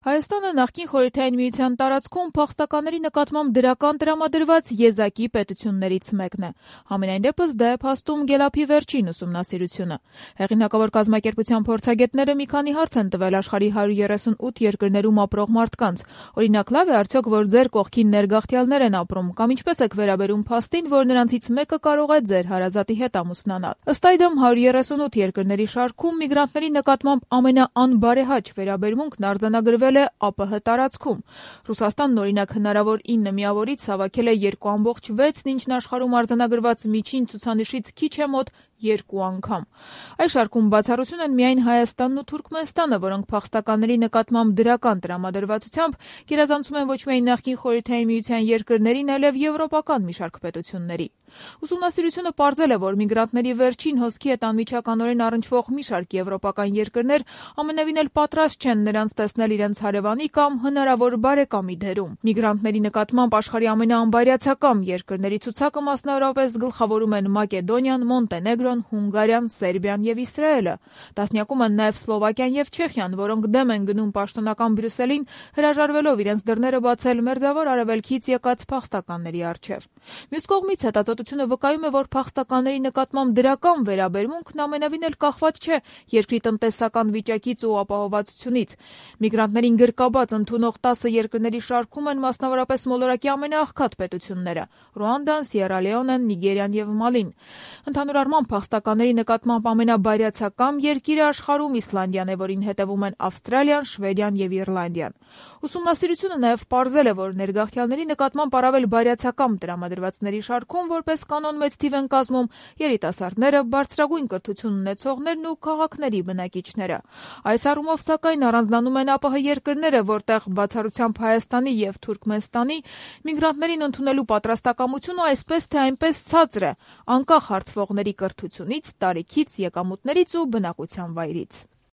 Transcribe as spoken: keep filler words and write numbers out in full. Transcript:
Հայաստանը նախկին Խորհրդային Միության տարածքում փախստականների նկատմամբ դրական տրամադրված եզակի պետություններից մեկն է։ Համենայն դեպս դա է փաստում Գելափի վերջին ուսումնասիրությունը։ Հեղինակավոր կազմակերպության փորձագետները մի քանի հարց են տվել աշխարհի հարյուր երեսունութ երկրներում ապրող մարդկանց։ Օրինակ, լավ է արդյոք, որ ձեր կողքին ներգաղթյալներ են ապրում, կամ ինչպես եք վերաբերում փաստին, որ նրանցից մեկը կարող է ձեր հարազատի հետ ամուսնանալ։ Ըստ այդմ հարյուր երեսունութ երկրների շարքում միգրանտների նկատմամբ ամենաանբարեհաճ վերաբերմունքն արձանագրվել է ԱՊՀ տարածքում։ Ռուսաստանն օրինակ հնարավոր ինը միավորից հավաքել է երկու ամբողջ վեցն, ինչն աշխարհում արձանագրված միջին ցուցանիշից քիչ է մոտ երկու անգամ։ Այս շարքում բացառություն են միայն Հայաստանն ու Թուրքմենստանը, որոնք փախստականների նկատմամբ դրական տրամադրվածությամբ գերազանցում են ոչ միայն նախկին Խորհրդային Միության երկրներին, այլև եվրոպական մի շարք պետությունների։ Ուսումնասիրությունը պարզել է, որ միգրանտների վերջին հոսքի հետ անմիջականորեն առնչվող մի շարք եվրոպական երկրներ ամենևին էլ պատրաստ չեն նրանց տեսնել իրենց հարևանի կամ հնարավոր բարեկամի դերում։ Միգրանտների նկատմամբ աշխարհի ամենաանբարյացակամ երկրների ցուցակը մասնավորապես գլխավորում են Մակեդոնիան, Մոնտենեգրոն, Հունգարիան, Սերբիան եւ Իսրայելը։ Տասնյակում են նաեւ Սլովակիան եւ Չեխիան, որոնք դեմ են գնում պաշտոնական Բրյուսելին, հրաժարվելով իրենց դռները բացել մերձավոր արևելքից եկած փախստականների առջև։ Մյուս կողմից հետազոտությունը վկայում է, որ փախստականների նկատմամբ դրական վերաբերմունքն ամենևին էլ կախված չէ երկրի տնտեսական վիճակից ու ապահովվածությունից։ Միգրանտներին գրկաբաց ընդունող տասը երկրների շարքում են մասնավորապես մոլորակի ամենաաղքատ պետությունները՝ Ռուանդան, Սիերա Լեոնեն, Նիգերիան եւ Մալին։ Ընդհանուր առմամբ փախստականների նկատմամբ ամենաբարյացակամ երկիրը աշխարհում Իսլանդիան է, որին հետևում են Ավստրալիան, Շվեդիան եւ Իռլանդիան։ Ուսումնասիրությունը նաեւ պարզել է, որ ներգաղթյալների նկատմամբ առավել բարյացակամ տրամադրվածների շարքում որպես կանոն մեծ թիվ են կազմում երիտասարդները, բարձրագույն կրթություն ունեցողներն ու քաղաքների բնակիչները։ Այս առումով, սակայն, առանձնանում են ԱՊՀ երկրները, որտեղ բացառությամբ Հայաստանի եւ Թուրքմենստանի միգրանտներին ընդունելու պատրաստակամությունը այսպես թե այնպես ցածր է, անկախ հարցվողների կրթությունից, տարիքից, եկամուտներից ու բնակության վայրից։